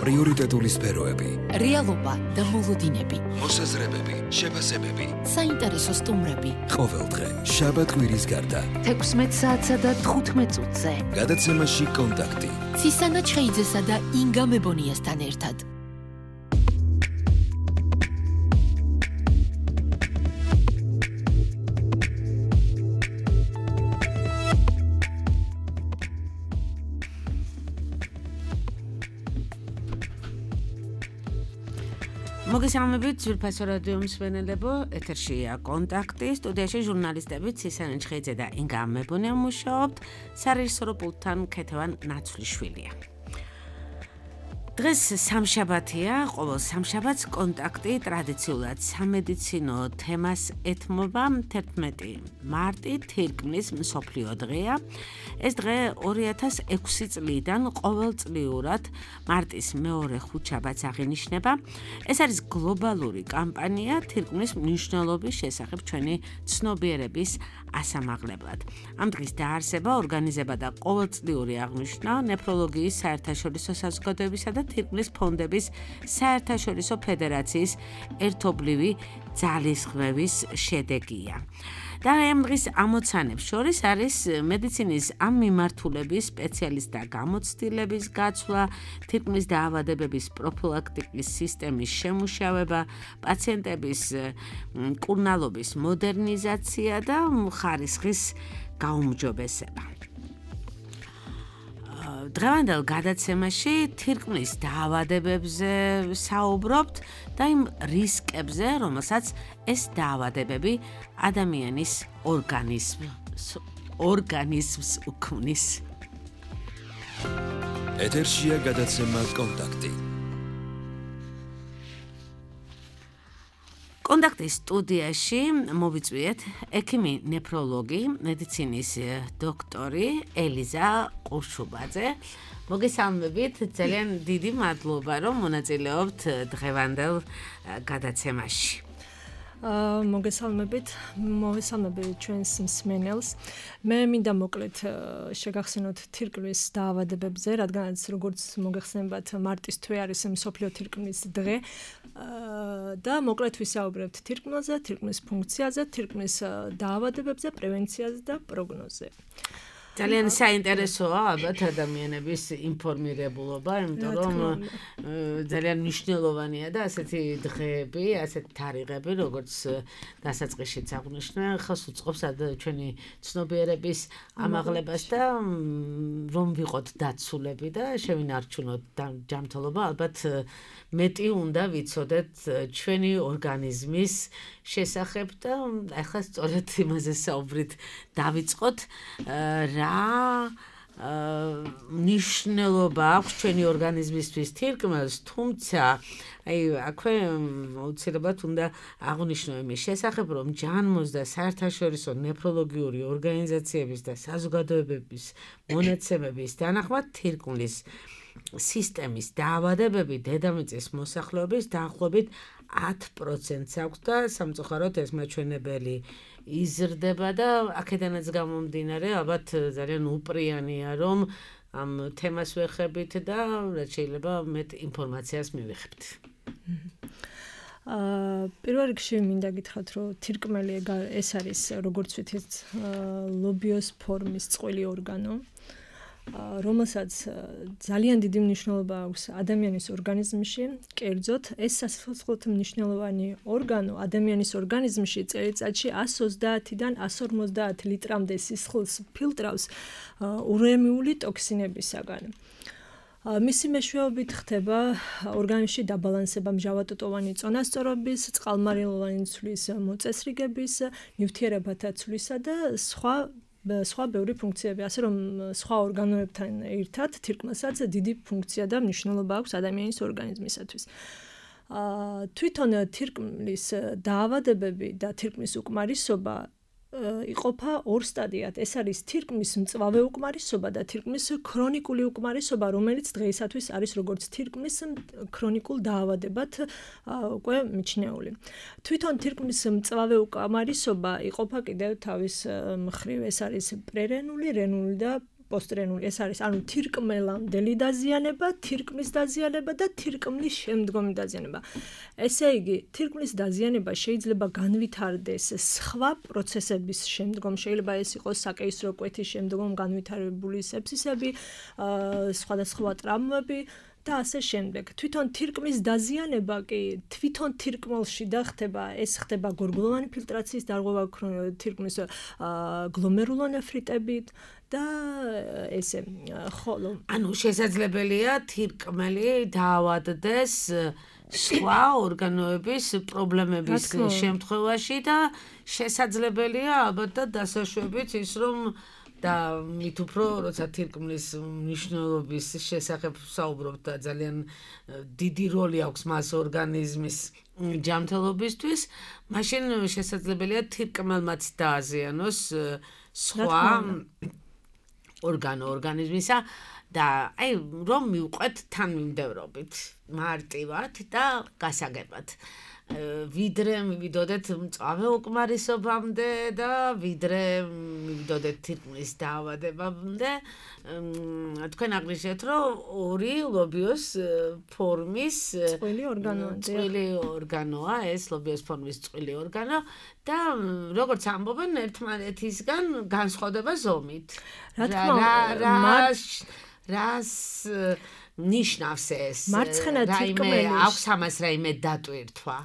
პრიორიტეტული სფეროები, რეალობა და მოლოდინები, მოსაზრებები, შეფასებები, საინტერესო სტუმრები. ყოველდღე შაბათ-კვირის გარდა 16 საათსა და 15 წუთზე. გადაცემაში კონტაქტი. ცისანა ჩხეიძესა და ინგა მებონიასთან ერთად. მოგესალმებით ძვირფასო რადიო მსმენელებო, ეთერშია კონტაქტი, სტუდიაში ჟურნალისტები ცისანა ჩხეიძე და ინგა მებონია მუშაობთ, სარეჟისორო პულტთან ქეთევან ნაცვლიშვილია. დღეს სამშაბათია, ყოველ სამშაბათს კონტაქტი ტრადიციულად სამედიცინო თემას ეთმობა. 11 მარტი თირკმლის მსოფლიო დღეა. ეს დღე 2006 წლიდან ყოველწლიურად მარტის მეორე ხუთშაბათს აღინიშნება. ეს არის გლობალური კამპანია თირკმლის მნიშვნელობის შესახებ ჩვენი ცნობიერების ასამაღლებლად. ამ დღის დაარსება, ორგანიზება და ყოველწლიური აღნიშვნა ნეფროლოგიის საერთაშორისო საზოგადოებისა და თირკმლის ფონდების საერთაშორისო ფედერაციის ერთობლივი ძალისხმევის შედეგია. და ამ დღის ამოცანებს შორის არის მედიცინის ამ მიმართულების სპეციალისტთა გამოცდილების გაცვლა, თირკმლის დაავადებების პროფილაქტიკის სისტემის შემუშავება, პაციენტების მკურნალობის მოდერნიზაცია და ხარისხის გაუმჯობესება. დღევანდელ გადაცემაში თირკმლის დაავადებებზე საუბრობთ და იმ რისკებზე, რომელსაც ეს დაავადებები ადამიანის ორგანიზმს უქმნის. ეთერშია გადაცემა კონტაქტი. კონტაქტის სტუდიაში მოვიწვიეთ ექიმი ნეფროლოგი, მედიცინის დოქტორი ელიზა ყურშუბაძე. მოგესალმებით, ძალიან დიდი მადლობა, რომ მონაწილეობთ დღევანდელ გადაცემაში. მოგესალმებით ჩვენს მსმენელს. მე მინდა მოკლედ შეგახსენოთ თირკმლის დაავადებებზე, რადგანაც როგორც მოგეხსენებათ, მარტის თვე არის მსოფლიო თირკმლის დღე და მოკლედ ვისაუბრებთ თირკმელზე, თირკმლის ფუნქციაზე, თირკმლის დაავადებებზე, პრევენციაზე და პროგნოზზე. ძალიან საინტერესოა ალბათ ადამიანების ინფორმირებულობა, იმიტომ რომ ძალიან მნიშვნელოვანია და ასეთი დღეები, ასეთი თარიღები, როგორც დასაწყისშიც აღნიშნე, ხელს უწყობს ჩვენი ცნობიერების ამაღლებას და რომ ვიყოთ დაცულები და შევინარჩუნოთ ჯანმრთელობა, ალბათ მეტი უნდა ვიცოდეთ ჩვენი ორგანიზმის შესახებ და ახლა სწორედ იმაზე საუბრით დავიწყოთ, რა მნიშვნელობა აქვს ჩვენი ორგანიზმისთვის თირკმელს, თუმცა აქვე აუცილებლად უნდა აღნიშნო იმის შესახებ, რომ ჯანმოს და საერთაშორისო ნეფროლოგიური ორგანიზაციების და საზოგადოებების მონაცემების თანახმად თირკმლის სისტემის დაავადებები დედამიწის მოსახლეობის დაახლოებით 10%-ს აქვს და სამწუხაროდ ეს მაჩვენებელი იზრდება და აქედანაც გამომდინარე, ალბათ ძალიან უპრიანია, რომ ამ თემას ვეხებით და რაც შეიძლება მეტ ინფორმაციას მივიღებთ. პირველ რიგში მინდა გითხრათ, რომ თირკმელი ეს არის, როგორც ვიცით, ლობიოს ფორმის წყვილი ორგანო, რომელსაც ძალიან დიდი მნიშვნელობა აქვს ადამიანის ორგანიზმში. კერძოდ, ეს სასოფლო მნიშვნელოვანი ორგანო ადამიანის ორგანიზმში წელიწადში 130-დან 150 ლიტრამდე სისხლს ფილტრავს ურემიული ტოქსინებისაგან. მისი მეშვეობით ხდება ორგანიზმში დაბალანსება მჟავატოტოვანი წონასწორობის, წყალმარილოვანი ცვლის მოწესრიგების, ნივთიერებათა ცვლისა და სხვა ბევრი ფუნქციები, ასე რომ სხვა ორგანოებთან ერთად თირკმელსაც დიდი ფუნქცია და მნიშვნელობა აქვს ადამიანის ორგანიზმისათვის. თვითონ თირკმლის დაავადებები და თირკმლის უკმარისობა იყოფა ორ სტადიად. ეს არის თირკმლის მწვავე უკმარისობა და თირკმლის ქრონიკული უკმარისობა, რომელიც დღეისათვის არის როგორც თირკმლის ქრონიკულ დაავადებად უკვე მიჩნეული. თვითონ თირკმლის მწვავე უკმარისობა იყოფა კიდევ თავის მხრივ. ეს არის პრერენული, რენული და პოსტრენული ეს არის ანუ თირკმელამდელი დაზიანება, თირკმლის დაზიანება და თირკმლის შემდგომი დაზიანება. ესე იგი, თირკმლის დაზიანება შეიძლება განვითარდეს სხვა პროცესების შემდგომ, შეიძლება ეს იყოს საკეისრო კვეთის შემდგომ განვითარებული სეფსისები, სხვადასხვა ტრამვები და ასე შემდეგ. თვითონ თირკმლის დაზიანება კი თვითონ თირკმელში და ეს ხდება გორგულოვანი ფილტრაციის დარღვევა თირკმლის გლომერულონეფრიტებით და ესე ხოლო ანუ შესაძლებელია თირკმელი დაავადდეს სხვა ორგანოების პრობლემების შემთხვევაში და შესაძლებელია ალბათ და დასაშვებით ის რომ და მით უფრო როცა თირკმლის მნიშვნელობის შესახებ საუბრობთ და ძალიან დიდი როლი აქვს მას ორგანიზმის ჯანმრთელობისთვის, მაშინ შესაძლებელია თირკმელმაც დააზიანოს სხვა ორგანიზმისა და აი რომ მივყვეთ თანმიმდევრობით, მარტივად და გასაგებად. ვიდრე მივიდოდეთ მწვავე უკმარისობამდე და ვიდრე მივიდოდეთ თირკმლის დაავადებამდე, თქვენ აღნიშნეთ, რომ ორი ლობიოს ფორმის წყვილი ორგანოა, ეს ლობიოს ფორმის წყვილი ორგანო და როგორც ამბობენ, ერთმანეთისგან განსხვავდება ზომით. რას ნიშნავს ეს? მარცხენა თირკმელი აქვს ამას რაიმე დატვირთვა?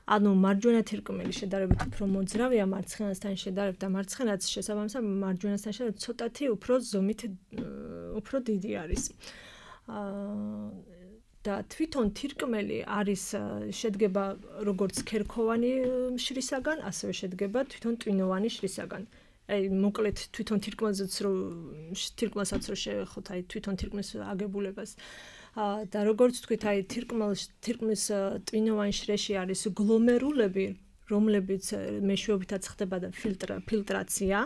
ანუ მარჯვენა თირკმელი შედარებით უფრო მოძრავია მარცხენასთან შედარებით და მარცხენაც შესაბამისად მარჯვენასთან შედარებით ცოტათი უფრო ზომით უფრო დიდი არის. და თვითონ თირკმელი არის შედგება როგორც ქერქოვანი შრისაგან, ასევე შედგება თვითონ ტვინოვანი შრისაგან. აი მოკლედ თვითონ თირკმელსაც თირკმელსაც შეხოთ აი თვითონ თირკმლის აგებულებას და როგორც თქვით აი თირკმლის ტვინოვანი შრეში არის გლომერულები რომლებიც მეშვეობითაც ხდება და ფილტრაცია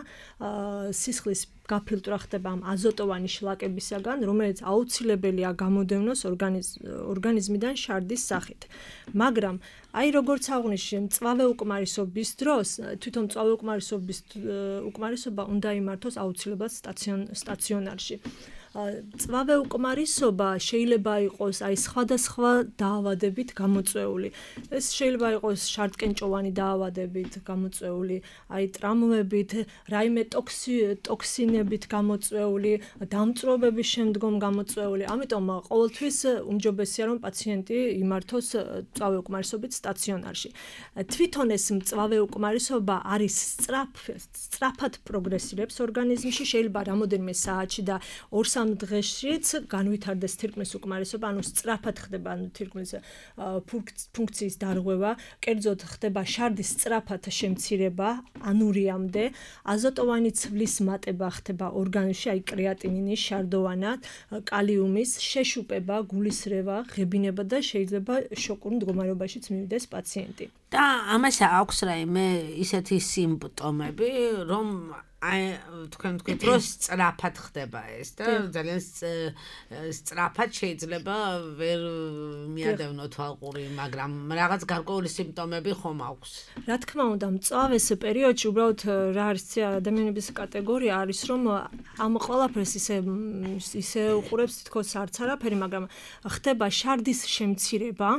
სისხლის გაფილტრა ხდება ამ აზოტოვანი შლაკებისაგან რომელიც აუცილებელია გამოდევნოს ორგანიზმიდან შარდის სახით მაგრამ აი როგორც აღნიშნე მწვავე უკმარისობის დროს თვითონ მწვავე უკმარისობა უნდა იმართოს აუცილებლად სტაციონარში მწვავე უკმარისობა შეიძლება იყოს აი სხვადასხვა დაავადებით გამოწვეული. ეს შეიძლება იყოს შარტკენჭოვანი დაავადებით გამოწვეული, აი ტრამვებით, რაიმე ტოქსინებით გამოწვეული, დამწვრობების შემდგომ გამოწვეული. ამიტომ ყოველთვის უმჯობესია რომ პაციენტი იმართოს მწვავე უკმარისობით სტაციონარში. თვითონ ეს მწვავე უკმარისობა არის სწრაფად პროგრესირებს ორგანიზმში, შეიძლება რამოდენიმე საათში და 2-3 დღეშიც განვითარდეს თირკმლის უკმარისობა, ანუ სწრაფად ხდება ანუ თირკმლის ფუნქციის დარღვევა, კერძოდ ხდება შარდის სწრაფად შემცირება ანურიამდე, აზოტოვანი ცვლის მატება ხდება ორგანიზმში, აი კრეატინინის, შარდოვანა, კალიუმის შეშუპება, გულისრევა, ღებინება და შეიძლება შოკურ მდგომარეობაშიც მივიდეს პაციენტი. და ამას აქვს რაიმე ისეთი სიმპტომები, რომ აი თქვენ თქვით რომ სწრაფად ხდება ეს და ძალიან სწრაფად შეიძლება ვერ მიადევნოთ ალყური, მაგრამ რაღაც გარკვეული სიმპტომები ხომ აქვს. რა თქმა უნდა, მწვავეს პერიოდში უბრალოდ რა არის ადამიანების კატეგორია არის რომ ამ ყველაფერს ისე უყურებს თითქოს არც არაფერი, მაგრამ ხდება შარდის შემცირება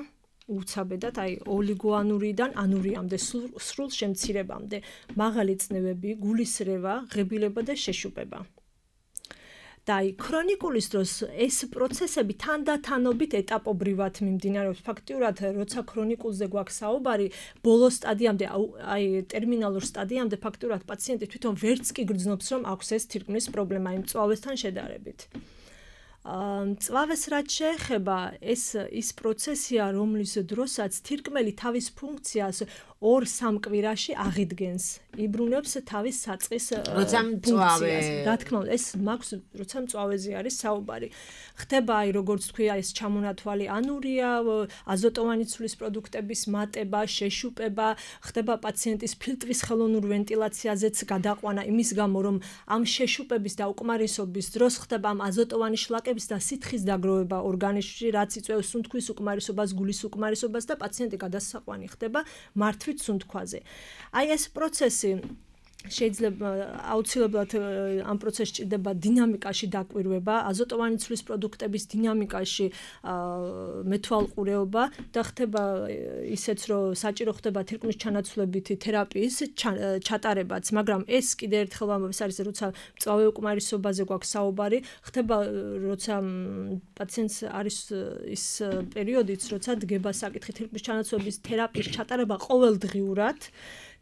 უცაბედად, აი ოლიგოანურიდან ანურიამდე, სრულ შემცირებამდე, მაღალი წნევები, გულისრევა, ღებილება და შეშუპება. და აი ქრონიკულის დროს ეს პროცესები თანდათანობით ეტაპობრივად მიმდინარეობს. ფაქტიურად, როცა ქრონიკულზე გვაქვს საუბარი, ბოლო სტადიამდე, აი ტერმინალურ სტადიამდე ფაქტიურად პაციენტი თვითონ ვერც კი გრძნობს, რომ აქვს ეს თირკმლის პრობლემა იმ მწვავესთან შედარებით. მწვავეს რაც შეეხება ის პროცესია, რომლის დროსაც თირკმელი თავის ფუნქციას 2-3 კვირაში აღიდგენს. იბრუნებს თავის საწყის ფუნქციას. რა თქმა უნდა, ეს მაქვს, როცა მწვავეზე არის საუბარი. ხდება აი როგორც თქვი, ეს ჩამონათვალი ანურია, აზოტოვანი ცვლის პროდუქტების მატება, შეშუპება, ხდება პაციენტის ფილტვის ხელოვნურ ვენტილაციაზეც გადაყვანა იმის გამო, რომ ამ შეშუპების და უკმარისობის დროს ხდება ამ აზოტოვანი შლაკების და სითხის დაგროვება ორგანიზმში, რაც იწვევს სუნთქვის უკმარისობას, გულის უკმარისობას და პაციენტი გადასაყვანი ხდება მართვით სუნთქვაზე. აი ეს პროცესი შეიძლება აუცილებლად ამ პროცესში ჭირდება დინამიკაში დაკვირვება, აზოტოვანი ცვლის პროდუქტების დინამიკაში მეთვალყურეობა და ხდება ისეც, რომ საჭირო ხდება თირკმლის ჩანაცვლებითი თერაპიის ჩატარებაც, მაგრამ ეს კიდე ერთხელ ამბობს არის, როცა მწვავე უკმარისობაზე გვაქვს საუბარი, ხდება როცა პაციენტს არის ის პერიოდიც, როცა დგება საკითხი თირკმლის ჩანაცვლების თერაპიის ჩატარება ყოველდღიურად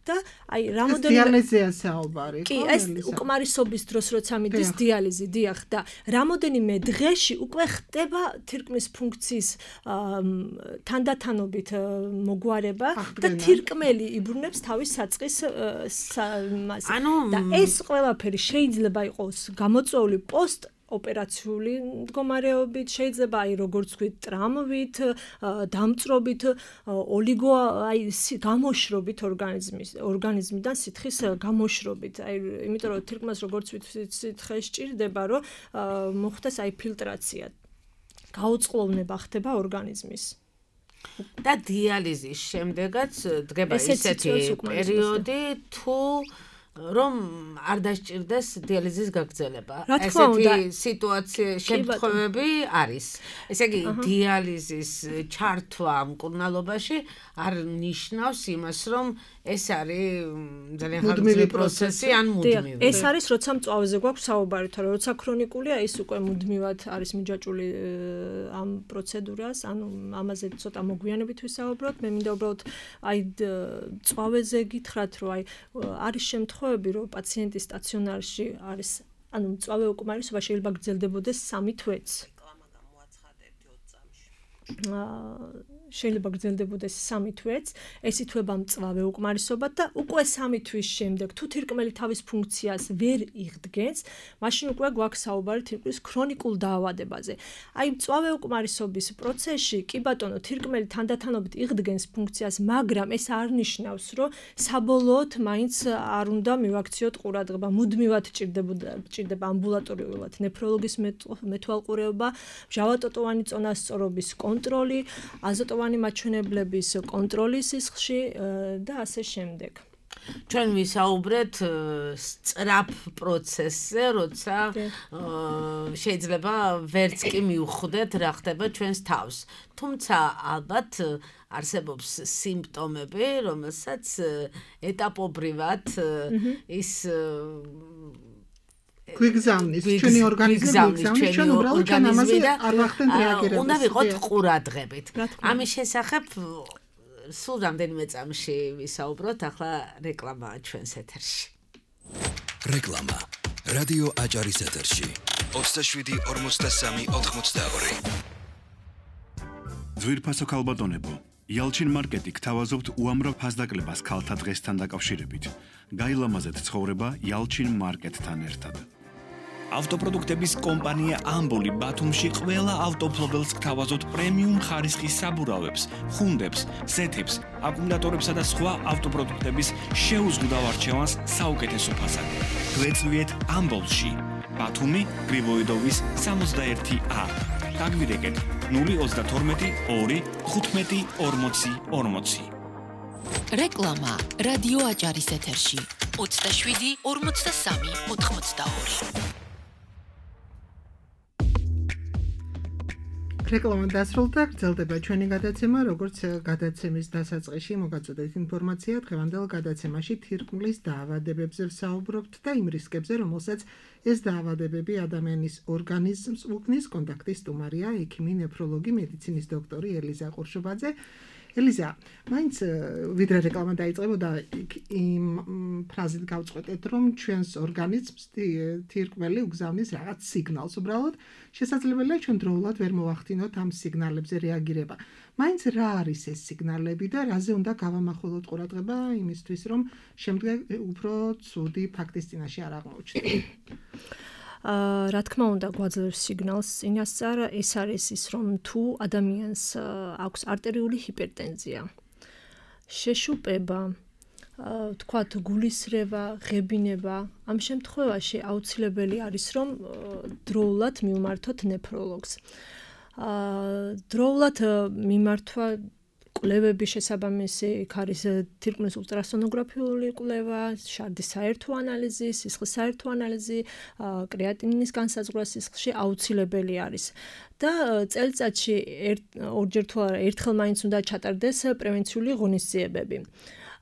და აი რამოდენიმე დიალიზია საუბარი. კი, ეს უკმარისობის დროს როცა მიდის დიალიზი, დიახ, და რამოდენიმე დღეში უკვე ხდება თირკმლის ფუნქციის თანდათანობით მოგვარება და თირკმელი იბრუნებს თავის საწყის მასას. და ეს ყველაფერი შეიძლება იყოს გამოწვეული ოპერაციული მდგომარეობით, შეიძლება აი როგორც ვთქვით, ტრამვით, დამწრობით, ოლიგო აი გამოშრობით ორგანიზმიდან სითხის გამოშრობით. აი იმიტომ რომ თირკმელს როგორც ვთქვით, სითხე სჭირდება, რომ მოხდეს აი ფილტრაცია. გაუწყლოვნება ხდება ორგანიზმის. და დიალიზის შემდეგაც დგება ისეთი პერიოდი, თუ რომ არ დასჭირდეს დიალიზის გაგრძელება. ესეთი სიტუაცია შემთხვევები არის. ესე იგი, დიალიზის ჩართვა მკურნალობაში არ ნიშნავს იმას, რომ ეს არის ძალიან ხანგრძლივი პროცესი ან მუდმივი. ეს არის, როცა მწვავეზე გვაქვს საუბარი, თორე როცა ქრონიკულია, ის უკვე მუდმივად არის მიჯაჭვული ამ პროცედურას, ანუ ამაზე ცოტა მოგვიანებით ვისაუბროთ. მე მინდა უბრალოდ აი მწვავეზე გითხრათ, რომ აი არის შემთხვევები, რომ პაციენტი სტაციონარში არის, ანუ მწვავე უკმარისობა შეიძლება გრძელდებოდეს 3 თვეც. შეიძლება გრძელდებოდეს 3 თვეც, ეს ითვება მწვავე უკმარისობა და უკვე 3 თვის შემდეგ თუ თირკმელი თავის ფუნქციას ვერ იღდგენს, მაშინ უკვე გვაქვს საუბარი თირკმლის ქრონიკულ დაავადებაზე. აი მწვავე უკმარისობის პროცესში კი ბატონო თირკმელი თანდათანობით იღდგენს ფუნქციას, მაგრამ ეს არ ნიშნავს, რომ საბოლოოდ მაინც არ უნდა მივაქციოთ ყურადღება, მუდმივად ჭირდება ამბულატორიულად ნეფროლოგის მეთვალყურეობა, მჟავატოტოვანი წონასწორობის კონტროლი, აზოტოვანი მაჩვენებლების კონტროლი სისხლში და ასე შემდეგ. ჩვენ ვისაუბრეთ სწრაფ პროცესზე, როცა შეიძლება ვერც კი მივხვდეთ რა ხდება ჩვენს თავს. თუმცა ალბათ არსებობს სიმპტომები, რომელსაც ეტაპობრივად ის გვიგზავნის ჩვენი ორგანიზმი, ჩვენ უბრალოდ ჩვენ ამაზე არ ვახდენთ რეაგირებას. უნდა ვიყოთ ყურადღებით. ამის შესახებ სულ რამდენიმე წამში ვისაუბროთ, ახლა რეკლამაა ჩვენს ეთერში. რეკლამა. რადიო აჭარის ეთერში. 27-43-82. ძვირფასო ქალბატონებო, იალჩინ მარკეტი გთავაზობთ უამრავ ფასდაკლებას ქალთა დღესთან დაკავშირებით. გაილამაზეთ ცხოვრება იალჩინ მარკეტთან ერთად. ავტოპროდუქტების კომპანია ამბოლი ბათუმში ყველა ავტოფლობელს გთავაზობთ პრემიუმ ხარისხის საბურავებს, ხუნდებს, სეთებს, აკუმულატორებსა და სხვა ავტოპროდუქტების შეუზღუდავ არჩევანს საუკეთესო ფასად. გვეწვიეთ ამბოლში, ბათუმი, გრიბოიდოვის 61A. დაგვირეკეთ 032 2 15 40 40. რეკლამა რადიო აჭარის ეთერში 27 43 82. რეკლამა დასრულდა, გრძელდება ჩვენი გადაცემა, როგორც გადაცემის დასაწყისში მოგაწოდეთ ინფორმაცია, დღევანდელ გადაცემაში თირკმლის დაავადებებზე ვსაუბრობთ და იმ რისკებზე, რომელსაც ეს დაავადებები ადამიანის ორგანიზმს უქმნის. კონტაქტის სტუმარია ექიმი, ნეფროლოგი, მედიცინის დოქტორი ელიზა ყურშუბაძე. ელიზა, მაინც ვიდრე რეკლამა დაიწყებოდა, იმ ფრაზით გავწყვეტეთ, რომ ჩვენს ორგანიზმს თირკმელი უგზავნის რაღაც სიგნალს. უბრალოდ შესაძლებელია ჩვენ დროულად ვერ მოვახდინოთ ამ სიგნალებზე რეაგირება. მაინც რა არის ეს სიგნალები და რაზე უნდა გავამახვილოთ ყურადღება იმისთვის, რომ შემდეგ უფრო ცუდი ფაქტის წინაშე არ აღმოჩნდეთ. რა თქმა უნდა გვაძლევს სიგნალს წინასწარ, ეს არის ის, რომ თუ ადამიანს აქვს არტერიული ჰიპერტენზია, შეშუპება, თქვათ გულისრევა, ღებინება, ამ შემთხვევაში აუცილებელი არის, რომ დროულად მივმართოთ ნეფროლოგს. დროულად მიმართვა კვლევები შესაბამისი, იქ არის თირკმლის ულტრასონოგრაფიული კვლევა, შარდის საერთო ანალიზი, სისხლის საერთო ანალიზი, კრეატინინის განსაზღვრა სისხლში აუცილებელი არის. და წელიწადში ორჯერ თუ არა ერთხელ მაინც უნდა ჩატარდეს პრევენციული ღონისძიებები.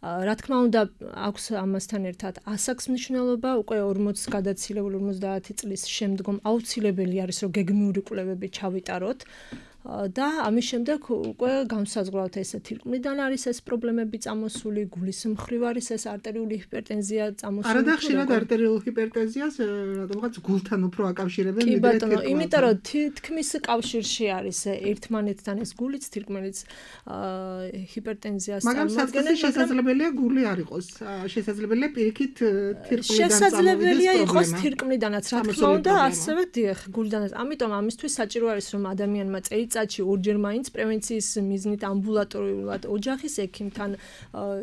რა თქმა უნდა, აქვს ამასთან ერთად ასაკს მნიშვნელობა, უკვე 40 გადაცილებული 50 წლის შემდგომ აუცილებელი არის, რომ გეგმიური კვლევები ჩავიტაროთ. და ამის შემდეგ უკვე განსაზღვრავთ ეს თირკმლიდან არის ეს პრობლემები წამოსული, გულის მხრივ არის ეს არტერიული ჰიპერტენზია წამოსული. არა და ხშირად არტერიულ ჰიპერტენზიას რადგან გულთან უფრო აკავშირებენ ვიდრე თირკმელთან. კი ბატონო, იმიტომ რომ თითქმის კავშირში არის ერთმანეთთან ეს გულიც, თირკმელიც ჰიპერტენზიას მაგრამ საწყისში შესაძლებელია გული არ იყოს. შესაძლებელია პირიქით თირკმლიდან შესაძლებელია იყოს თირკმლიდანაც, რა თქმა უნდა, ასევე დიახ, გულიდანაც. ამიტომ ამისთვის საჭირო არის რომ ადამიანმა წელიწადში ორჯერ მაინც პრევენციის მიზნით ამბულატორიულად ოჯახის ექიმთან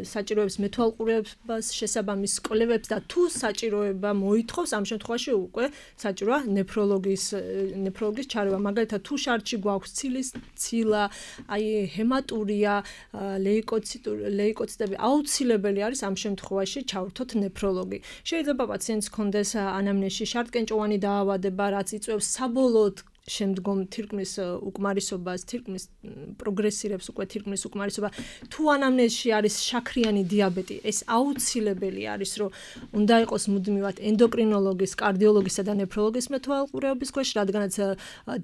საჭიროებს მეთვალყურეობას შესაბამის კვლევებს და თუ საჭიროება მოითხოვს, ამ შემთხვევაში უკვე საჭიროა ნეფროლოგის ჩარევა. მაგალითად, თუ შარდში გვაქვს ცილა, აი ჰემატურია, ლეიკოციტები, აუცილებელი არის ამ შემთხვევაში ჩავრთოთ ნეფროლოგი. შეიძლება პაციენტს ჰქონდეს ანამნეზში შარდკენჭოვანი დაავადება, რაც იწვევს საბოლოოდ შემდგომ თირკმლის უკმარისობას, თირკმლის პროგრესირებს უკვე თირკმლის უკმარისობა. თუ ანამნეზში არის შაქრიანი დიაბეტი, ეს აუცილებელი არის, რომ უნდა იყოს მუდმივად ენდოკრინოლოგის, კარდიოლოგისა და ნეფროლოგის მეთვალყურეობის ქვეშ, რადგანაც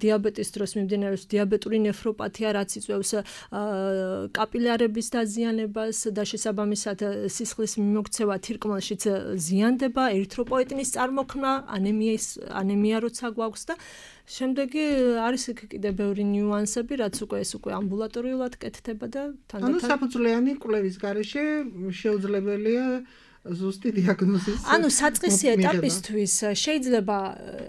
დიაბეტის დროს მიმდინარეობს დიაბეტური ნეფროპათია, რაც იწვევს კაპილარების დაზიანებას და შესაბამისად სისხლის მიმოქცევა თირკმელშიც ზიანდება, ერითროპოეტინის წარმოქმნა, ანემია როცა გვაქვს და შემდეგი არის კიდე ბევრი ნიუანსები, რაც ეს უკვე ამბულატორიულად კეთდება და თანდათან ანუ საფუძვლიანი კვლევის გარეშე შეუძლებელია ზუსტი დიაგნოზის. ანუ საწყისი ეტაპისთვის შეიძლება,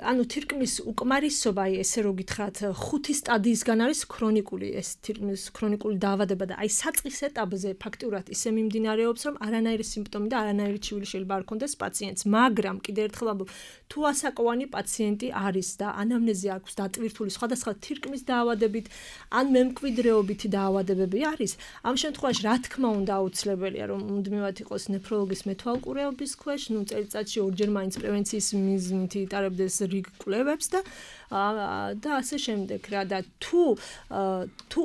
ანუ თირკმლის უკმარისობა, ესე რო გითხრათ, 5 სტადიისგან არის ქრონიკული, ეს თირკმლის ქრონიკული დაავადება და აი საწყის ეტაპზე ფაქტიურად ისე მიმდინარეობს, რომ არანაირი სიმპტომი და არანაირი ჩივილი შეიძლება არ ქონდეს პაციენტს, მაგრამ კიდევ ერთხელ ამბობ, თუ ასაკოვანი პაციენტი არის და ანამნეზი აქვს დატვირთული სხვადასხვა თირკმლის დაავადებით, ან მემკვიდრეობითი დაავადებები არის, ამ შემთხვევაში რა თქმა უნდა აუცილებელია, რომ მუდმივად იყოს ნეფროლოგის თვალყურეობის ქვეშ, წელიწადში ორჯერ მაინც პრევენციის მიზნით იტარებდეს რიგ კვლევებს და ასე შემდეგ რა და თუ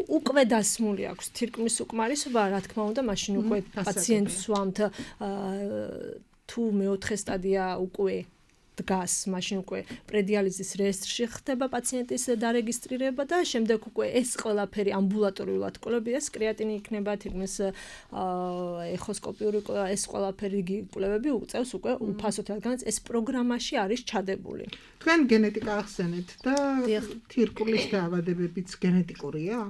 უკვე დასმული აქვს თირკმლის უკმარისობა, რა თქმა უნდა, მაშინ უკვე პაციენტს ვამთ თუ მეოთხე სტადია უკვე დგას, მაშინ უკვე პრედიალიზის რეესტრში ხდება პაციენტის დარეგისტრირება და შემდეგ უკვე ეს ყველაფერი ამბულატორიულად კვლევები, ეს კრეატინი იქნება, თირკმლის ეხოსკოპიური ეს ყველაფერი კვლევები უწევს უკვე უფასოდ, რადგანაც ეს პროგრამაში არის ჩადებული. თქვენ გენეტიკა ახსენეთ და თირკმლის დაავადებებიც გენეტიკურია?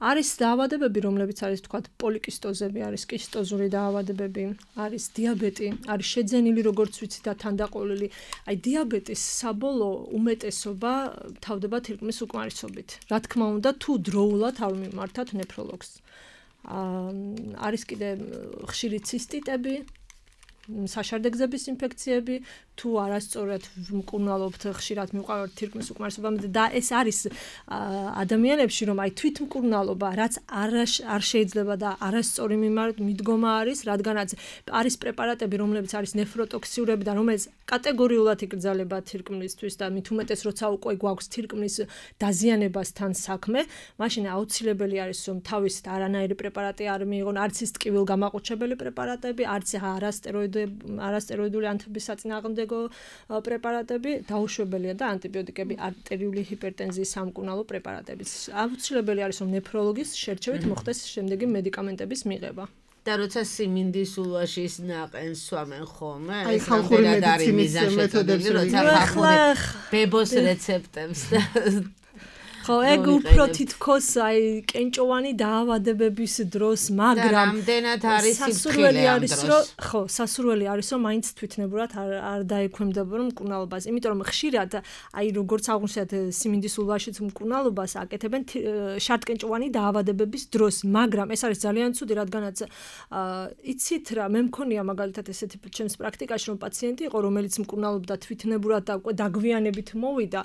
არის დაავადებები, რომლებიც არის თქვათ პოლიკისტოზები, არის კისტოზური დაავადებები, არის დიაბეტი, არის შეძენილი როგორც ვიცი და თანდაყოლილი. აი დიაბეტის საბოლოო უმეტესობა თავდება თირკმლის უკმარისობით. რა თქმა უნდა, თუ დროულად არ მიმართათ ნეფროლოგს. არის კიდე ხშირი ცისტიტები, საშარდეგზების ინფექციები, თუ არასწორად მკურნალობთ, ხშირად მივყავართ თირკმლის უკმარისობამდე და ეს არის ადამიანებში, რომ აი თვითმკურნალობა, რაც არ შეიძლება და არასწორი მიდგომა არის, რადგანაც არის პრეპარატები, რომლებიც არის ნეფროტოქსიურები და რომელიც კატეგორიულად იკრძალება თირკმლისთვის და მით უმეტეს როცა უკვე გვაქვს თირკმლის დაზიანებასთან საქმე, მაშინ აუცილებელი არის, რომ თავისით არანაირი პრეპარატი არ მიიღონ, არც ის ტკივილგამაყუჩებელი პრეპარატები, არც არასტეროიდული ანთების საწინააღმდეგო პრეპარატები, დაუშვებელია და ანტიბიოტიკები, არტერიული ჰიპერტენზიის სამკურნალო პრეპარატებიც. აუცილებელი არის, რომ ნეფროლოგის შერჩევით მოხდეს შემდეგი მედიკამენტების მიღება. და როცა siminდის ულვაში ის ნაყენს სვამენ ხოლმე, ეს ხალხური მედიცინის მეთოდებს, როცა ხალხური ბებოს რეცეპტებს და ხო, ეგ უფრო თითქოს აი კენჭოვანი დაავადებების დროს, მაგრამ რამდენად არის სასურველი არის, რომ ხო, სასურველი არის, რომ მაინც თვითნებურად არ დაექვემდებარო მკურნალობას, იმიტომ რომ ხშირად აი როგორც აღვნიშნეთ siminდის ულვაშიც მკურნალობას აკეთებენ შარდკენჭოვანი დაავადებების დროს, მაგრამ ეს არის ძალიან ცუდი, რადგანაც იცით რა, მე მქონია მაგალითად ესეთი ჩემს პრაქტიკაში, რომ პაციენტი იყო, რომელიც მკურნალობდა თვითნებურად და უკვე დაგვიანებით მოვიდა,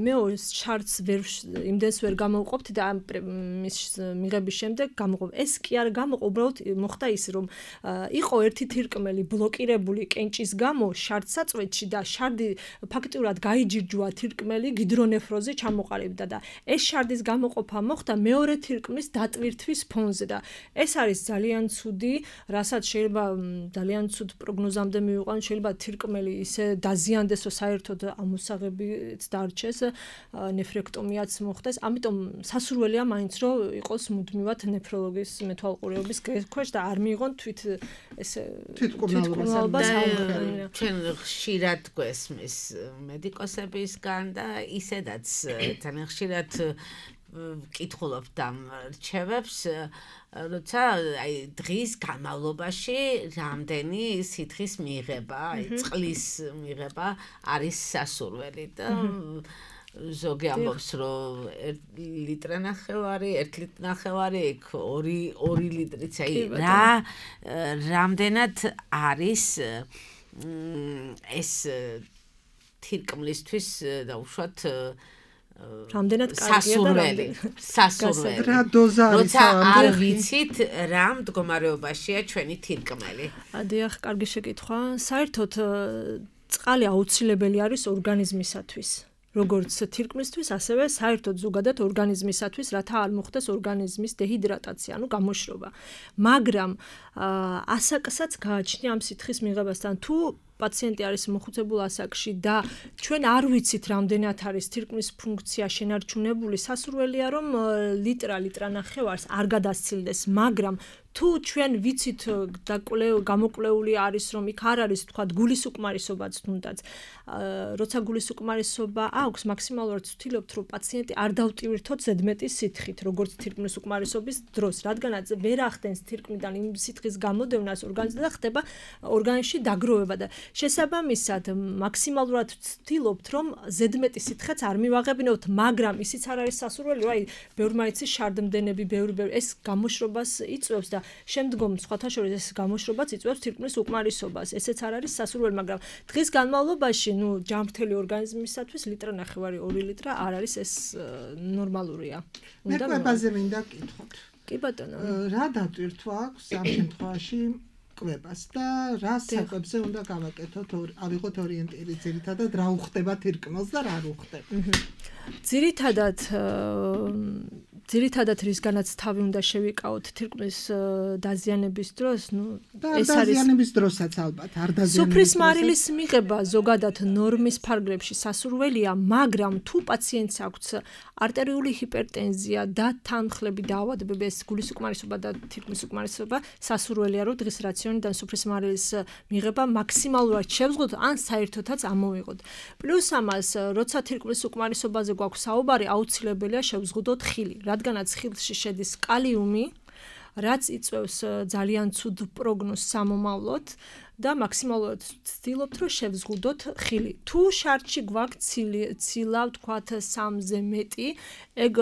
მე შარდს იმდენს ვერ გამოვყოფთ და მის მიღების შემდეგ გამოვყოფ. ეს კი არ გამოყო, უბრალოდ მოხდა ის, რომ იყო ერთი თირკმელი ბლოკირებული კენჭის გამო შარდსაწვეთში და შარდი ფაქტიურად გაიჯირჯვა თირკმელი გიდრონეფროზზე ჩამოყალიბდა და ეს შარდის გამოყოფა მოხდა მეორე თირკმლის დატვირთვის ფონზე და ეს არის ძალიან ცუდი, რასაც შეიძლება ძალიან ცუდ პროგნოზამდე მივიყვან, შეიძლება თირკმელი ისე დაზიანდეს, რომ საერთოდ ამოსაღებიც დარჩეს, ნეფრექტომიაც მოხდეს. ამიტომ სასურველია მაინც რომ იყოს მუდმივად ნეფროლოგის მეთვალყურეობის ქვეშ და არ მიიღონ თვითმკურნალობას. ჩვენ ხშირად გვესმის მედიკოსებისგან და ისედაც ძალიან ხშირად ვკითხულობთ ამ რჩევებს, როცა დღის განმავლობაში რამდენი სითხის მიღება, წყლის მიღება არის სასურველი და ზოგი ამბობს, რომ 1 ლიტრ ნახევარი, 1 ლიტრ ნახევარი, 2 ლიტრიც, რამდენად არის ეს თირკმლისთვის და უშუალოდ რამდენად სასურველი. რა დოზა არის? როცა არ ვიცით რა მდგომარეობაშია ჩვენი თირკმელი. დიახ, კარგი შეკითხვა. საერთოდ წყალი აუცილებელი არის ორგანიზმისათვის. როგორც თირკმლისთვის, ასევე საერთოდ ზოგადად ორგანიზმისათვის, რათა არ მოხდეს ორგანიზმის დეჰიდრატაცია, ანუ გამოშრობა. მაგრამ ასაკსაც გააჩნია ამ სითხის მიღებასთან. თუ პაციენტი არის მოხუცებულ ასაკში და ჩვენ არ ვიცით რამდენად არის თირკმლის ფუნქცია შენარჩუნებული, სასურველია რომ ლიტრა ნახევარს არ გადასცილდეს, მაგრამ თუ ჩვენ ვიცით და გამოკვლეული არის რომ იქ არ არის თქვა გულის უკმარისობაც თუნდაც როცა გულის უკმარისობა აქვს მაქსიმალურად ვთქვით რომ პაციენტი არ დავტივირთოთ ზედმეტის სითხით როგორც თირკმლის უკმარისობის დროს რადგანაც ვერ ახდენს თირკმლიდან იმ სითხის გამოდევნას ორგანიზმზე და ხდება ორგანიზმში დაგროვება და შესაბამისად მაქსიმალურად ვთქვით რომ ზედმეტის სითხეც არ მივაღებინოთ მაგრამ ისიც არ არის სასურველი რომ აი ბევრმა იცის შარდმდენები ბევრი ეს გამოშრობას იწვევს და შემდგომ სხვათა შორის ეს გამოშრობაც იწვევს თირკმლის უკმარისობას ესეც არ არის სასურველი მაგრამ დღის განმავლობაში ჯამრთელი ორგანიზმისათვის ლიტრი ნახევარი 2 ლიტრი არ არის ეს ნორმალურია. უნდა კვებაზე მინდა გკითხოთ. კი ბატონო. რა დატვირთვა აქვს ამ შემთხვევაში კვებას და რა საკვებზე უნდა გავაკეთოთ ავიღოთ ორიენტირი ძირითადად რა უხდება თირკმელს და რა არ უხდება. ძირითადად რისგანაც თავი უნდა შევიკავოთ თირკმლის დაზიანების დროს, ეს არის დაზიანების დროსაც ალბათ, არ დაზიანების. სუფრის მარილის მიღება ზოგადად ნორმის ფარგლებში სასურველია, მაგრამ თუ პაციენტს აქვს არტერიული ჰიპერტენზია და თანხლები დაავადებები, ეს გულის უკმარისობა და თირკმლის უკმარისობა, სასურველია, რომ დღის რაციონიდან სუფრის მარილის მიღება მაქსიმალურად შევზღუდოთ, ან საერთოდაც ამოვიღოთ. პლუს ამას, როცა თირკმლის უკმარისობაზე გვაქვს საუბარი, აუცილებელია შევზღუდოთ ხილი. რადგანაც ხილში შედის კალიუმი, რაც იწვევს ძალიან ცუდ პროგნოზს სამომავლოდ და მაქსიმალურად ვცდილობთ, რომ შევზღუდოთ ხილი. თუ შარტში გვაქვს ცილა, ვთქვათ 3-ზე მეტი, ეგ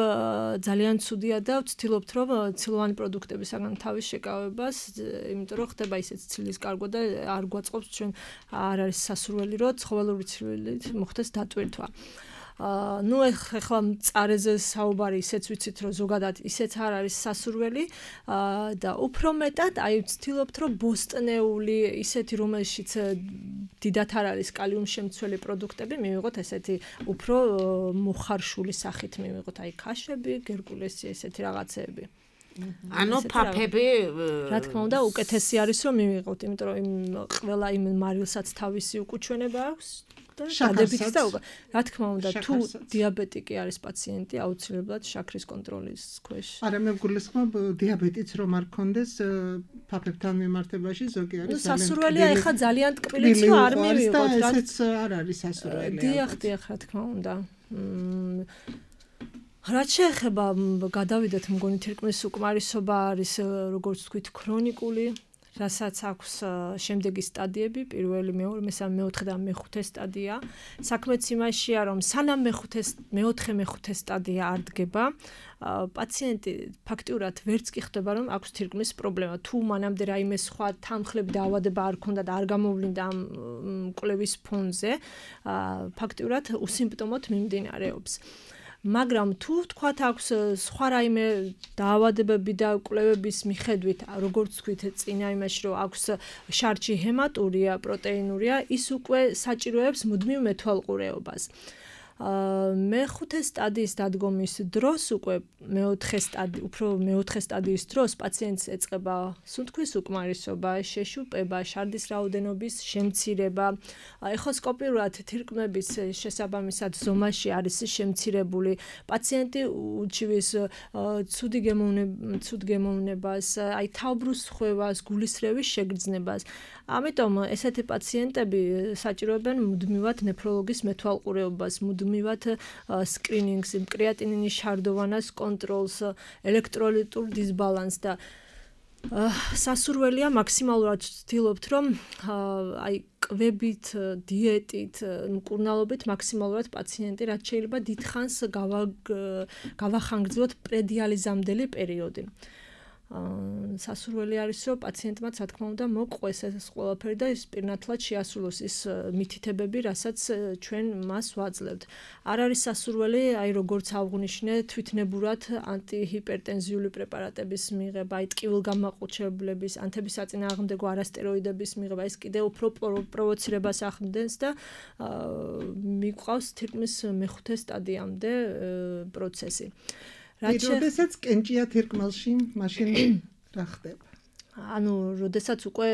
ძალიან ცუდია და ვცდილობთ, რომ ცილოვანი პროდუქტებისგან თავის შეკავებას, იმიტომ რომ ხდება ისეთ ცილის კარგვა და არ გვაწყობს ჩვენ არ არის სასურველი, რომ ცხოველური ცილით მოხდეს დატვირთვა. ეხლა მწარეზე საუბარი ისეც ვიცით რომ ზოგადად ისეც არ არის სასურველი და უფრო მეტად აი ვცდილობთ რომ ბოსტნეული ისეთი რომელშიც დიდათ არ არის კალიუმ შემცველი პროდუქტები მივიღოთ ესეთი უფრო მოხარშული სახით მივიღოთ აი ქაშები, გერკულესი ესეთი რაღაცეები. ანუ ფაფები რა თქმა უნდა უკეთესი არის რომ მივიღოთ, იმიტომ რომ ყველა იმ მარილსაც თავისი უკუჩვენება აქვს. შაკრებიც და რა თქმა უნდა თუ დიაბეტიკი არის პაციენტი აუცილებლად შაქრის კონტროლის ქვეშ. არა მე გულისხმობ დიაბეტიც რომ არ ქონდეს ფაფებთან მიმართებაში ზოგი არის სასურველია ეხა ძალიან ტკბილიც რომ არ მივიღოთ რა ესეც არ არის სასურველი. დიახ რა თქმა უნდა. რაც შეეხება გადავიდეთ მგონი თირკმლის უკმარისობა არის როგორც ვთქვით ქრონიკული რასაც აქვს შემდეგი სტადიები, პირველი, მეორე, მესამე, მეოთხე და მეხუთე სტადია. საქმეც იმაშია, რომ სანამ მეოთხე, მეხუთე სტადია არ დგება, პაციენტი ფაქტიურად ვერც კი ხდება, რომ აქვს თირკმლის პრობლემა. თუ მანამდე რაიმე სხვა თანხლები და ავადება არ ქონდა და არ გამოვლინდა ამ კვლევის ფონზე, ფაქტიურად უსიმპტომოდ მიმდინარეობს. მაგრამ თუ თქვათ აქვს სხვა რაიმე დაავადებები და კვლევების მიხედვით, როგორც თქვით წინა იმაში, რომ აქვს შარჩი ჰემატურია, პროტეინურია, ის უკვე საჭიროებს მუდმივ მეთვალყურეობას. მეხუთე სტადიის დადგომის დროს უკვე მეოთხე სტადიის დროს პაციენტს ეწყება სუნთქვის უკმარისობა, შეშუპება, შარდის რაოდენობის შემცირება. ეხოსკოპიურად თირკმების შესაბამისად ზომაში არის შემცირებული. პაციენტი უჩივის ცუდი გემოვნებას, თავბრუს ხვევას, გულისრევის შეგრძნებას. ამიტომ ესეთი პაციენტები საჭიროებენ მუდმივად ნეფროლოგის მეთვალყურეობას, მუდმივად სკრინინგს, კრეატინინის შარდოვანას კონტროლს, ელექტროლიტურ დისბალანსს და სასურველია მაქსიმალურად ვცდილობთ, რომ კვებით, დიეტით, მკურნალობით მაქსიმალურად პაციენტი რაც შეიძლება დიდხანს გავახანგრძლოთ პრედიალიზამდელი პერიოდი. სასურველი არის, რომ პაციენტმა რა თქმა უნდა მოყვეს ეს ყველაფერი და ის პირნათლად შეასრულოს ის მითითებები, რასაც ჩვენ მას ვაძლევთ. არ არის სასურველი, როგორც აღვნიშნე, თვითნებურად ანტიჰიპერტენზიული პრეპარატების მიღება, ტკივილგამაყუჩებლების, ანთებისაწინააღმდეგო არასტეროიდების მიღება, ეს კიდევ უფრო პროვოცირებას ახდენს და მიყვავს თირკმის მეხუთე სტადიამდე პროცესი. როდესაც კენჭია თირკმელში, მაშინ რა ხდება? როდესაც უკვე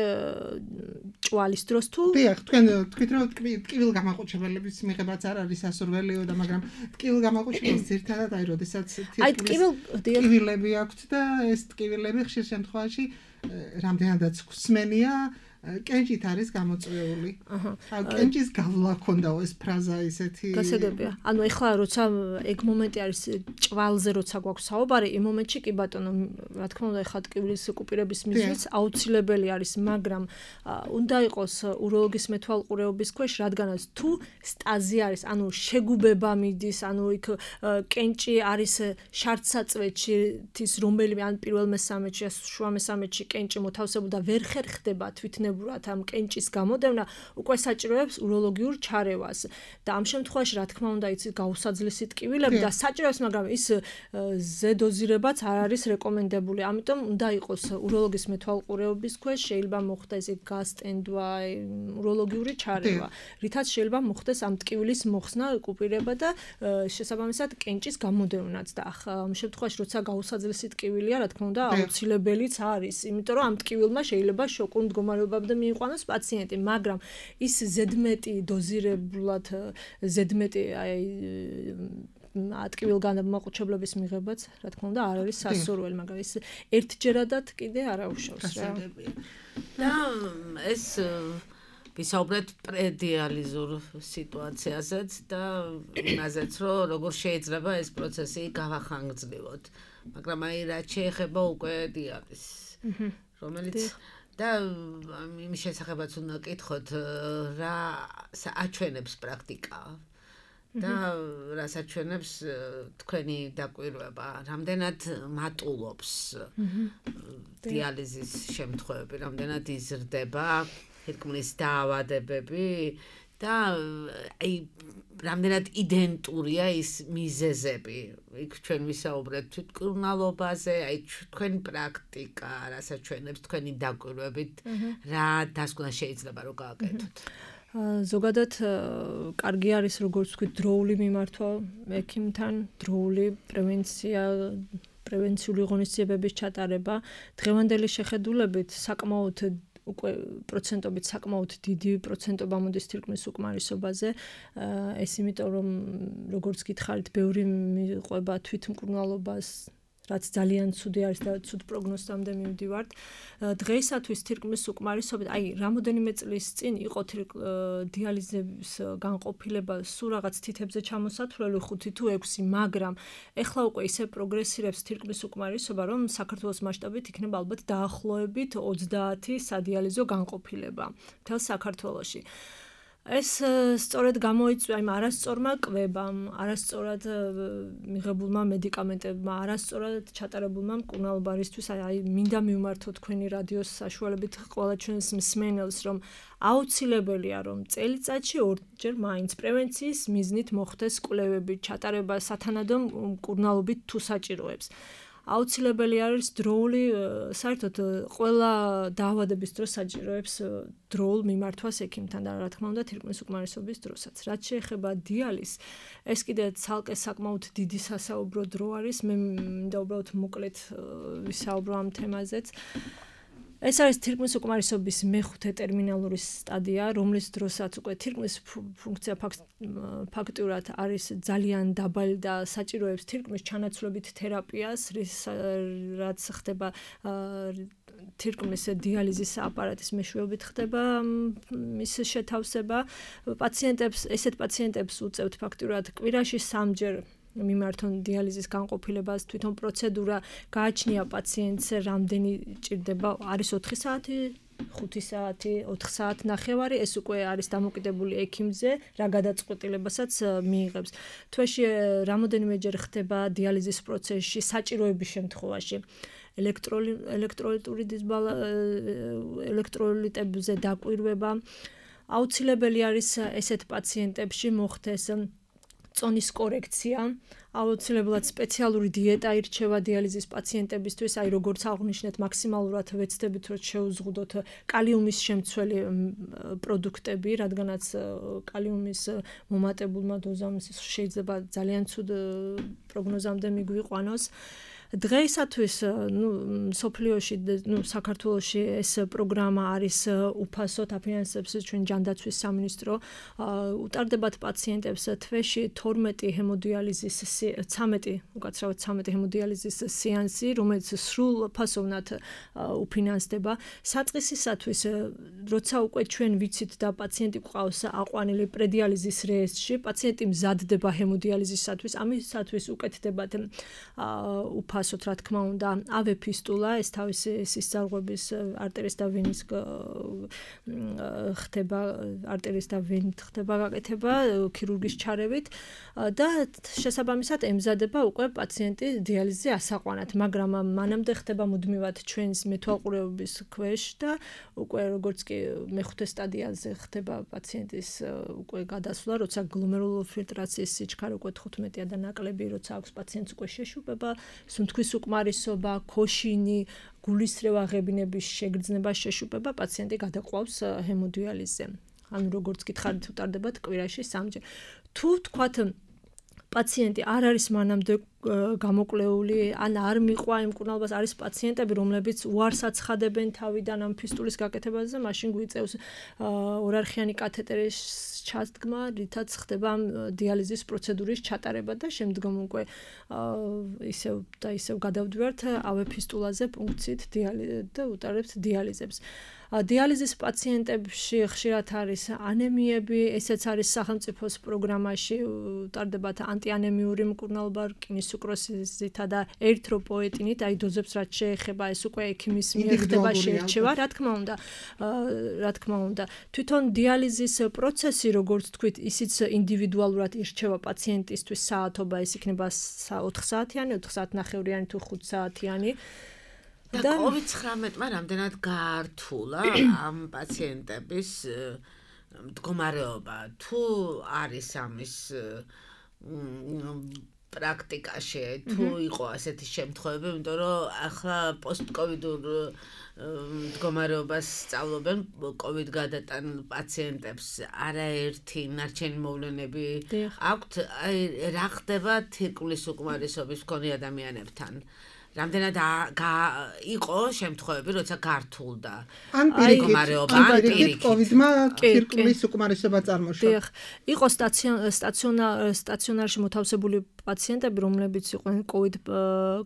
ჭვალის დროს თუ დიახ, თქვენ თქვით რომ ტკივილგამაყუჩებელების მიღებაც არ არის სასურველიო და მაგრამ ტკივილგამაყუჩებელს ძირთადად როდესაც ტკივილები აქვთ და ეს ტკივილები ხშირ შემთხვევაში რამდენადაც ხსმენია კენჭით არის გამოწვეული. კენჭის გავლა ქონდაო ეს ფრაზა ისეთი. გასაგებია. ეხლა როცა ეგ მომენტი არის ჭვალზე როცა გვაქვს საუბარი, იმ მომენტში კი ბატონო, რა თქმა უნდა, ეხლა ტკივილის კუპირების მიზნიც აუცილებელი არის, მაგრამ უნდა იყოს უროლოგის მეთვალყურეობის ქვეშ, რადგანაც თუ სტაზი არის, შეგუბება მიდის, იქ კენჭი არის შარდსაწვეთში, რომელიმე პირველ მესამედში, შუა მესამედში კენჭი მოთავსებული და ვერ ხერხდება თვითნებურად ამ კენჭის გამოდევნა, უკვე საჭიროებს უროლოგიურ ჩარევას. და ამ შემთხვევაში, რა თქმა უნდა, იცით გაუსაძლისი ტკივილები და საჭიროებს, მაგრამ ის ზედოზირებაც არ არის რეკომენდებული. ამიტომ უნდა იყოს უროლოგის მეთვალყურეობის ქვეშ, შეიძლება მოხდეს გასტენდვა, უროლოგიური ჩარევა, რითაც შეიძლება მოხდეს ამ ტკივილის მოხსნა, კუპირება და შესაბამისად კენჭის გამოდევნაც. და ამ შემთხვევაში, როცა გაუსაძლისი ტკივილია, რა თქმა უნდა, აუცილებელიც არის, იმიტომ რომ ამ ტკივილმა შეიძლება შოკურ მდგომარეობამდე მიიყვანოს პაციენტი, მაგრამ ის ზედმეტი დოზირებულად, ზედმეტი ტკივილგამაყუჩებლების მიღებაც, რა თქმა უნდა, არ არის სასურველი, მაგრამ ის ერთჯერადად კიდე არ აუშავს რა. და ეს ვისაუბრეთ პრედიალიზურ სიტუაციაზეც და იმაზეც, რომ როგორ შეიძლება ეს პროცესი გავახანგრძლივოთ. მაგრამ რაც შეეხება უკვე დიაბეტს, რომელიც და იმის შესახებაც უნდა კითხოთ, რა აჩვენებს პრაქტიკა და რას აჩვენებს თქვენი დაკვირვება, რამდენად მატულობს დიალიზის შემთხვევები, რამდენად იზრდება თირკმლის დაავადებები და რამდენად იდენტურია ის მიზეზები. იქ ჩვენ ვისაუბრეთ თვითმკურნალობაზე, თქვენი პრაქტიკა, რასაც ჩვენებს თქვენი დაკვირვებით, რა დასკვნა შეიძლება რომ გააკეთოთ. ზოგადად კარგი არის როგორც ვთქვით დროული მიმართვა ექიმთან, დროული პრევენცია, პრევენციული ღონისძიებების ჩატარება. დღევანდელი შეხედულებით საკმაოდ უკვე პროცენტობით საკმაოდ დიდი პროცენტობა მოდის თირკმლის უკმარისობაზე. ეს იმიტომ რომ როგორც გითხარით, ბევრი მიყვება თვითმკურნალობას, რაც ძალიან ცუდი არის და ცუდ პროგნოზამდე მივდივართ. დღეისათვის თირკმლის უკმარისობით, რამოდენიმე წლის წინ იყო დიალიზების განყოფილება სულ რაღაც თითებზე ჩამოსათვლელი 5 თუ 6, მაგრამ ეხლა უკვე ისე პროგრესირებს თირკმლის უკმარისობა, რომ საქართველოს მასშტაბით იქნება ალბათ დაახლოებით 30 სადიალიზო განყოფილება მთელ საქართველოში. ეს სწორედ გამოიწვია იმ არასწორმა კვებამ, არასწორად მიღებულმა მედიკამენტებმა, არასწორად ჩატარებულმა მკურნალობარისთვის, აი მინდა მივმართო თქვენი რადიოს საშუალებით ყველა ჩვენს მსმენელს, რომ აუცილებელია რომ წელიწადში ორჯერ მაინც პრევენციის მიზნით მოხდეს კვლევები, ჩატარება სათანადო მკურნალობით თუ საჭიროებს. აუცილებელი არის დროული, საერთოდ ყველა დაავადების დროს საჭიროებს დროულ მიმართვას ექიმთან და რა თქმა უნდა თირკმლის უკმარისობის დროსაც. რაც შეეხება დიალიზს, ეს კიდე ცალკე საკმაოდ დიდი სასაუბრო დრო არის. მე მინდა უბრალოდ მოკლედ ვისაუბრო ამ თემაზეც. ეს არის თირკმლის უკმარისობის მეხუთე ტერმინალური სტადია, რომლის დროსაც უკვე თირკმლის ფუნქცია ფაქტურად არის ძალიან დაბალი და საჭიროებს თირკმლის ჩანაცვლებით თერაპიას, რაც ხდება თირკმლის დიალიზის აპარატის მეშვეობით ხდება მის შეთავსება. ესეთ პაციენტებს უწევთ ფაქტურად კვირაში 3-ჯერ მიმართონ დიალიზის განყოფილებას, თვითონ პროცედურა გააჩნია პაციენტს რამდენი ჭირდება, არის 4 საათი, 5 საათი, 4 საათნახევარი, ეს უკვე არის დამოკიდებული ექიმზე, რა გადაწყვეტილებასაც მიიღებს. თვეში რამოდენიმეჯერ ხდება დიალიზის პროცესში საჭიროების შემთხვევაში. ელექტროლიტებზე დაკვირვება. აუცილებელი არის ესეთ პაციენტებში მოხდეს წონის კორექცია, აუცილებლად სპეციალური დიეტა ირჩევა დიალიზის პაციენტებისთვის, აი როგორც აღნიშნეთ, მაქსიმალურად ვეცდებით რომ შეუზღუდოთ კალიუმის შემცველი პროდუქტები, რადგანაც კალიუმის მომატებულმა დოზამ შეიძლება ძალიან ცუდ პროგნოზამდე მიგვიყვანოს. დღეისათვის სოფლიოში, საქართველოში ეს პროგრამა არის უფასოდ აფინანსებს ჩვენ ჯანდაცვის სამინისტრო. უტარდებათ პაციენტებს თვეში 12 ჰემოდიალიზის 13 ჰემოდიალიზის სეანსი, რომელიც სრულ ფასოვნად უფინანსდება. საწყისისათვის, როცა უკვე ჩვენ ვიცით და პაციენტი გვყავს აყვანილი პრედიალიზის რეესტრში, პაციენტი მზადდება ჰემოდიალიზისათვის, ამისათვის უკეთდებათ უფასოდ, რა თქმა უნდა, ავეფისტულა, ეს თავისი სისწრაფების არტერის და ვენის ხდება, არტერის და ვენით ხდება გაკეთება ქირურგის ჩარევით და შესაბამისად ემზადება უკვე პაციენტი დიალიზზე ასაყვანად, მაგრამ მანამდე ხდება მუდმივად ჩვენს მეთვალყურეობის ქვეშ და უკვე როგორც კი მეხუთე სტადიაზე ხდება პაციენტის უკვე გადასვლა, როცა გლომერულურ ფილტრაციის სიჩქარე უკვე 15-ია და ნაკლები, როცა აქვს პაციენტს უკვე შეშუპება, სუნთქვის უკმარისობა, ქოშინი, გულისრევა ღებინების შეგრძნება, შეშუპება, პაციენტი გადაყვავს ჰემოდიალიზზე. ანუ როგორც გითხარით, უტარდებათ კვირაში 3-ჯერ. თუ თქვათ პაციენტი არ არის მანამდე გამოკვლეული, ან არ მიყვა იმ მკურნალობას, არის პაციენტები, რომლებიც უარს აცხადებენ თავიდან ამ ფისტულის გაკეთებაზე, მაშინ გვიწევს ორარხიანი კათეტერის ჩადგმა, რითაც ხდება დიალიზის პროცედურის ჩატარება და შემდგომ უკვე ისევ გადავდივართ ავეფისტულაზე პუნქციით და უტარებთ დიალიზებს. დიალიზის პაციენტებში ხშირად არის ანემიები, ესეც არის სახელმწიფოს პროგრამაში, უტარდებათ ანტიანემიური მკურნალობა, რკინის სუკროზითა და ერითროპოეტინით, აი დოზებს რაც შეეხება, ეს უკვე ექიმის მიერ ხდება შეირჩევა, რა თქმა უნდა. თვითონ დიალიზის პროცესი, როგორც თქვით, ისიც ინდივიდუალურად ირჩევა პაციენტისთვის საათობა, ეს იქნება 4 საათიანი, 4 საათნახევრიანი თუ 5 საათიანი. და COVID-19-მა რამდენად გაართულა ამ პაციენტების მდგომარეობა, თუ არის ამის პრაქტიკაში, თუ იყო ასეთი შემთხვევები, იმიტომ რომ ახლა პოსტკოვიდურ მდგომარეობას სწავლობენ COVID გადატანილ პაციენტებს, არაერთი ნარჩენი მოვლენები აქვთ, აი რა ხდება თირკმლის უკმარისობის მქონე ადამიანებთან? რამდენად იყო შემთხვევები, როცა გართულდა მდგომარეობა, პირიქით COVID-მა თირკმლის უკმარისობა წარმოშვა. იყო სტაციონარში მოთავსებული პაციენტები, რომლებიც იყვნენ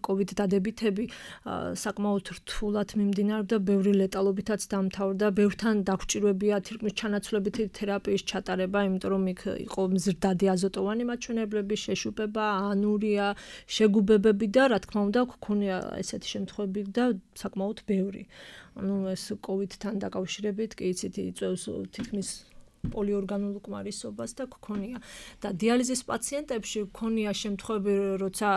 COVID დადებითები, საკმაოდ რთულად მიმდინარეობდა, ბევრი ლეტალობითაც დამთავრდა, ბევრთან დაგვჭირვებია თირკმლის ჩანაცვლებითი თერაპიის ჩატარება, იმიტომ რომ იქ იყო მზრდადი აზოტოვანი მაჩვენებლები, შეშუპება, ანურია, შეგუბებები და რა თქმა უნდა გქონია ესეთი შემთხვევები და საკმაოდ ბევრი. ანუ ეს COVID-თან დაკავშირებით კი იცით იწევს თითქმის პოლიორგანულ უკმარისობას და გქონია. და დიალიზის პაციენტებში გქონია შემთხვევები, როცა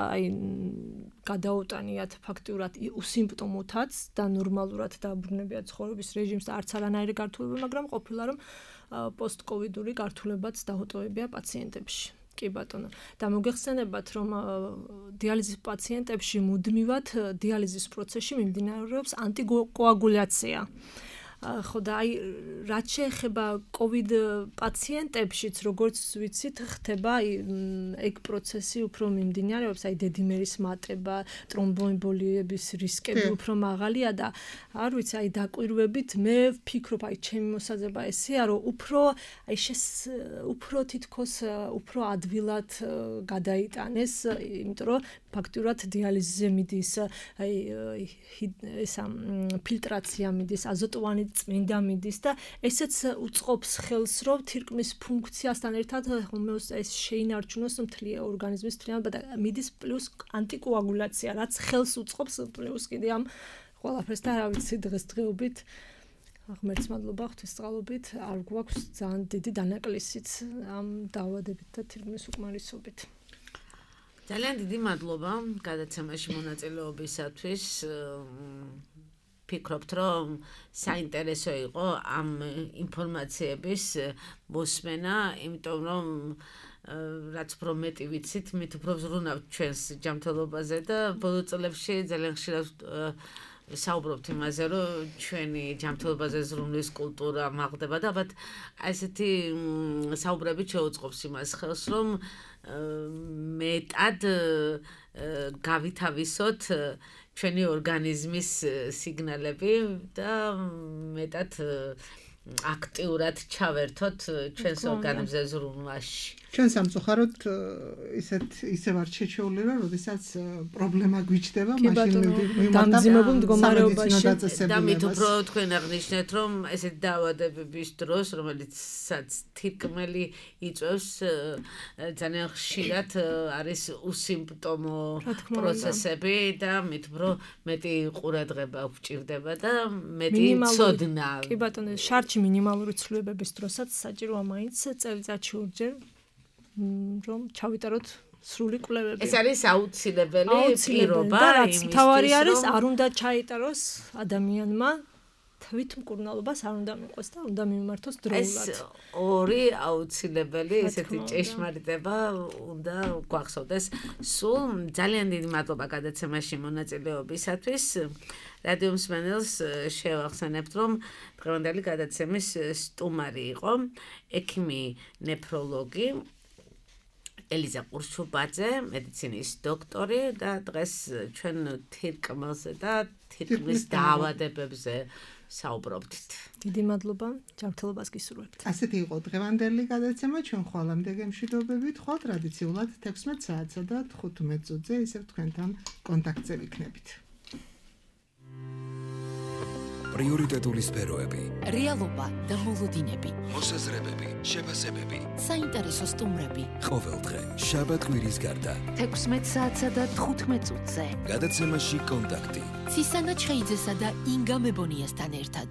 გადაუტანიათ ფაქტიურად უსიმპტომოთაც და ნორმალურად დააბრუნებიათ ცხოვრების რეჟიმს და არც არანაირი გართულება, მაგრამ ყოფილა რომ პოსტკოვიდური გართულებაც დაუტოვებია პაციენტებში. კი ბატონო. და მოგეხსენებათ, რომ დიალიზის პაციენტებში მუდმივად დიალიზის პროცესში მიმდინარეობს ანტიკოაგულაცია. ხო და რაც შეეხება COVID პაციენტებშიც, როგორც ვიცით, ხდება ეგ პროცესი უფრო მიმდინარეობს, დედიმერის მატება, ტრომბოემბოლიების რისკები უფრო მაღალია და არ ვიცი, დაკვირვებით მე ვფიქრობ, ჩემი მოსაზრება ესეა, რომ უფრო თითქოს უფრო ადვილად გადაიტანეს, იმიტომ რომ ფაქტურად დიალიზზე მიდის ფილტრაცია მიდის, აზოტოვანი წმინდა მიდის და ესეც უწყობს ხელს, რომ თირკმლის ფუნქციასთან ერთად ჰომეოსტაზი შეინარჩუნოს მთლიანი ორგანიზმის მთლიანობა და მიდის პლუს ანტიკოაგულაცია, რაც ხელს უწყობს პლუს კიდე ამ ყველაფერს და რა ვიცი დღესდღეობით ღმერთს მადლობა ღვთისწყალობით არ გვაქვს ძალიან დიდი დანაკლისიც ამ დაავადებით და თირკმლის უკმარისობით. ძალიან დიდი მადლობა გადაცემაში მონაწილეობისათვის. ფიქრობთ, რომ საინტერესო იყო ამ ინფორმაციების მოსმენა, იმიტომ რომ რაც უფრო მეტი ვიცით, მით უფრო ვზრუნავთ ჩვენს ჯანმრთელობაზე და ბოლო წლებში ძალიან ხშირად საუბრობთ იმაზე, რომ ჩვენი ჯანმრთელობაზე ზრუნვის კულტურა მაღლდება და ალბათ ესეთი საუბრებით შეუწყობს იმას ხელს, რომ მეტად გავითავისოთ ჩვენი ორგანიზმის სიგნალები და მეტად აქტიურად ჩავერთოთ ჩვენს ორგანიზმზე ზრუნვაში. ჩვენ სამწუხაროდ ისევ არ შეჩეული რა, როდესაც პრობლემა გვიჩნდება, მაშინ დამძიმებულ მდგომარეობაში და მით უფრო თქვენ აღნიშნეთ, რომ ესეთი დაავადებების დროს, რომელიცაც თირკმელი იწვევს, ძალიან ხშირად არის უსიმპტომო პროცესები და მით უფრო მეტი ყურადღება გვჭირდება და მეტი ცოდნა. კი ბატონო, შარჩი მინიმალური ცვლილებების დროსაც საჭიროა მაინც წელიწადში ორჯერ რომ ჩავიტაროთ სრული კვლევები. ეს არის აუცილებელი პირობა, იმისთვის თავარი არის, არ უნდა ჩაიტაროს ადამიანმა თვითმკურნალობას არ უნდა მიყვეს და უნდა მიმართოს დროულად. ეს ორი აუცილებელი ესეთი ჭეშმარიტება უნდა გვახსოვდეს. სულ ძალიან დიდი მადლობა გადაცემაში მონაწილეობისათვის. რადიო მსმენელს შევახსენებთ, რომ დღევანდელი გადაცემის სტუმარი იყო ექიმი ნეფროლოგი ელიზა ყურშუბაძე, მედიცინის დოქტორი და დღეს ჩვენ თირკმელზე და თირკმლის დაავადებებზე საუბრობთ. დიდი მადლობა, ჯანმრთელობას გისურვებთ. ასეთი იყო დღევანდელი გადაცემა, ჩვენ ხვალამდე გემშვიდობებით, ხვალ ტრადიციულად 16 საათსა და 15 წუთზე ისევ თქვენთან კონტაქტზე ვიქნებით. პრიორიტეტული სფეროები, რეალობა და მოლოდინები, მოსაზრებები, შეფასებები, საინტერესო სტუმრები. ყოველდღე შაბათ-კვირის გარდა 16 საათსა და 15 წუთზე. გადაცემაში კონტაქტი. ცისანა ჩხეიძესა და ინგა მებონიასთან ერთად.